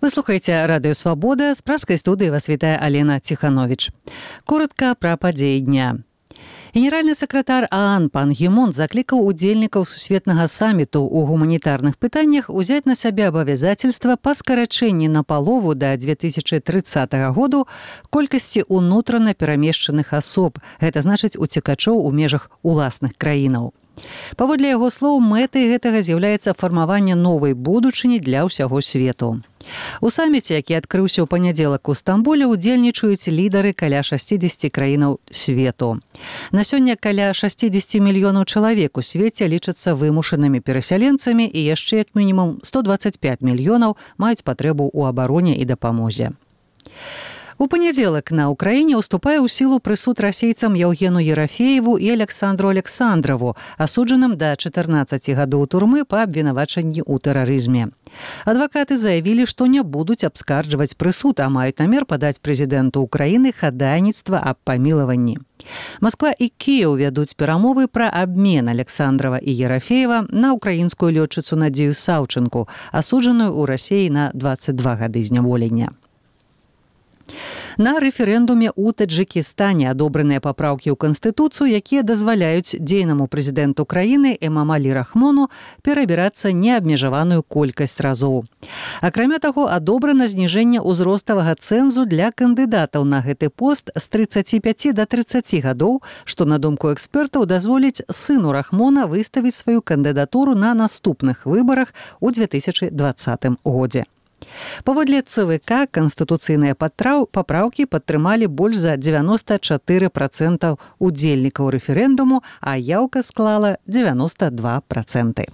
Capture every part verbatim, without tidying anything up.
Вы слухаеце радыё «Свабода», з праскай студыі вас вітае Алена Ціхановіч. Коротка пра падзеі дня. Генеральны сакратар ААН пан Гі Мун заклікаў удзельнікаў сусветнага саміту ў гуманітарных пытаннях узяць на сябе абавязацельства па скарачэнні на палову да две тысячы трыццатага году колькасці ўнутрана перамешчаных асоб, гэта значыць уцекачоў у межах уласных краінаў. Паводле яго слоў, мэтай гэтага з'яўляецца фармаванне новай будучыні для ўсяго свету. У саміце, які адкрыўся ў панядзелак у Стамбуле, удзельнічаюць лідары каля шасцідзесяці краінаў свету. На сёння каля шасцідзесяці мільёнаў чалавек у свеце лічацца вымушанымі перасяленцамі і яшчэ як мінімум сто дваццаць пяць мільёнаў маюць патрэбу ў абароне і дапамозе. У панядзелак на Ўкраіне ўступае ў сілу прысуд расейцам Яўгену Ерафееву і Александру Александрову, асуджаным да чатырнаццаці гадоў турмы па абвінавачанні ў тэрарызме. Адвакаты заявілі, што не будуць абскарджваць прысуд, а маюць намер падаць прэзідэнту Ўкраіны хадайніцтва аб памілаванні. Масква і Кіеў вядуць перамовы пра абмен Александрова і Ерафеева на ўкраінскую лётчыцу Надзею Саўчынку, асуджаную ў Расіі на дваццаць два гады зняволення. На рэферэндуме ў Таджыкістане адобраныя папраўкі ў Канстытуцыю, якія дазваляюць дзейнаму прэзідэнту краіны Эмамалі Рахмону перабірацца неабмежаваную колькасць разоў. Акрамя таго, адобрана зніжэнне ўзроставага цэнзу для кандыдатаў на гэты пост з трыццаці пяці да трыццаці гадоў, што, на думку экспертаў, дазволіць сыну Рахмона выставіць сваю кандыдатуру на наступных выбарах у две тысячы дваццатым годзе. Паводле ЦВК канстытуцыйныя папраўкі падтрымалі больш за дзевяноста чатыры працэнты удзельнікаў рэферэндуму, а яўка склала дзевяноста два працэнты.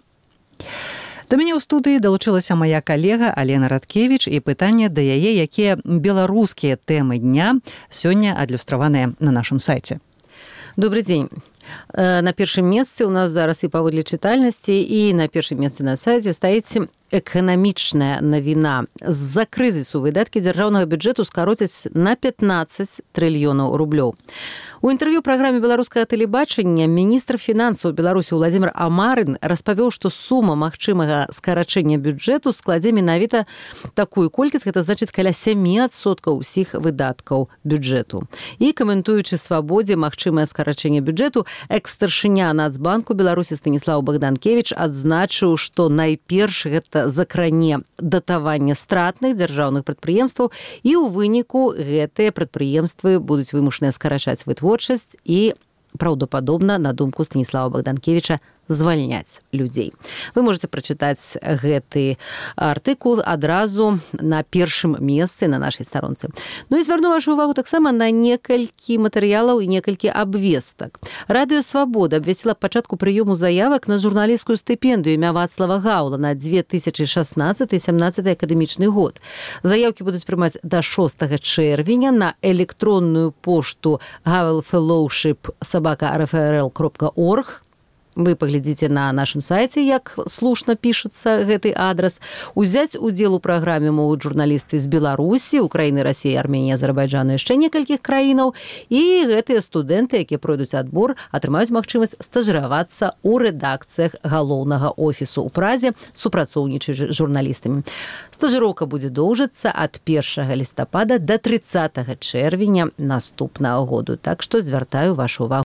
Да мяне ў студыі далучылася мая калега Алена Радкевіч, і пытанне да яе, якія беларускія тэмы дня сёння адлюстраваныя на нашым сайце. Добрый дзень. На першым месцы у нас зараз і паводле чытальнасці, і на першым месцы на сайце стаіць эканамічная навіна. З-за крызісу выдаткі дзяржаўнага бюджэту скароцяць на пятнаццаць трыльёнаў рублёў. У інтэрв'ю праграме беларускага тэлебачання міністр фінансаў Беларусі Владзімир Амарын распавёў, што сума магчымага скарачэння бюджэту складзе менавіта такую колькасць, гэта значыць каля сямі адсоткаў усіх выдаткаў бюджэту. І каментуючы свабодзе магчымае скарачэнне бюджэту, экс-старшыня Нацбанку Беларусі Станіслаў Богданкевич адзначыў, што найперш гэта закране датаванне стратных дзяржаўных прадпрыемстваў, і ў выніку гэтыя прадпрыемствы будуць вымушаныя скарачаць вытворчасць і, праўдападобна, на думку Станіслава Богданкевича, звальняць людзей. Вы можете прачытаць гэты артыкул адразу на першым месцы на нашай старонцы. Ну і звярну вашу увагу таксама на некалькі матэрыялаў і некалькі абвестак. Радыё «Свабода» абвясціла пачатку прыёму заявак на журналісцкую стыпендыю імя Вацлава Гаўла на две тысячы шаснаццаты - сямнаццаты акадэмічны год. Заяўкі будуць прымаць да шостага чэрвеня на электронную пошту gavelfellowship собака эр эф эр эл кропка орг. Вы паглядзіце на нашым сайце, як слушна пішацца гэты адрас. Узяць удзел у праграме могуць журналісты з Беларусі, Украіны, Расіі, Арменіі, Азербайджану, яшчэ некалькіх краінаў. І гэтыя студэнты, якія пройдуць адбор, атрымаюць магчымасць стажыравацца ў рэдакцыях галоўнага офісу ў Празе, супрацоўнічаючы з журналістамі. Стажыроўка будзе доўжыцца ад першага лістапада да трыццатага чэрвеня наступнага году. Так што звяртаю вашу увагу